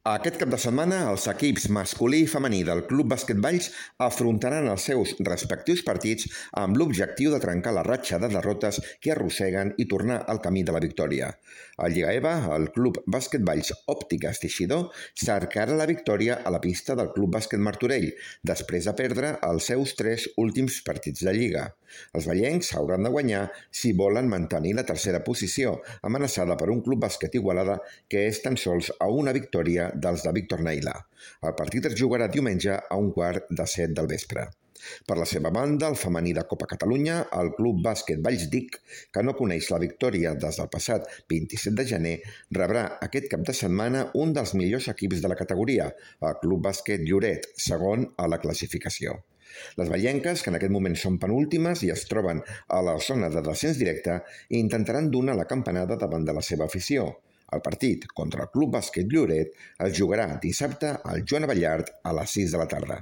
Aquest cap de setmana, els equips masculí i femení del Club Bàsquet Valls afrontaran els seus respectius partits amb l'objectiu de trencar la ratxa de derrotes que arrosseguen i tornar al camí de la victòria. A Lliga EVA, el Club Bàsquet Valls Òptiques Teixidor cercarà la victòria a la pista del Club Bàsquet Martorell, després de perdre els seus 3 últims partits de Lliga. Els vallencs hauran de guanyar si volen mantenir la tercera posició, amenaçada per un Club Bàsquet Igualada que és tan sols a una victòria dels de Víctor Naila. El partit es jugarà diumenge a 6:15 del vespre. Per la seva banda, el femení de Copa Catalunya, el Club Bàsquet Valls Dic, que no coneix la victòria des del passat 27 de gener, rebrà aquest cap de setmana un dels millors equips de la categoria, el Club Bàsquet Lloret, segon a la classificació. Les vallenques, que en aquest moment són penúltimes i es troben a la zona de descens directe, intentaran donar la campanada davant de la seva afició. El partit contra el Club Bàsquet Lloret es jugarà dissabte al Joan Abellart a les 6 de la tarda.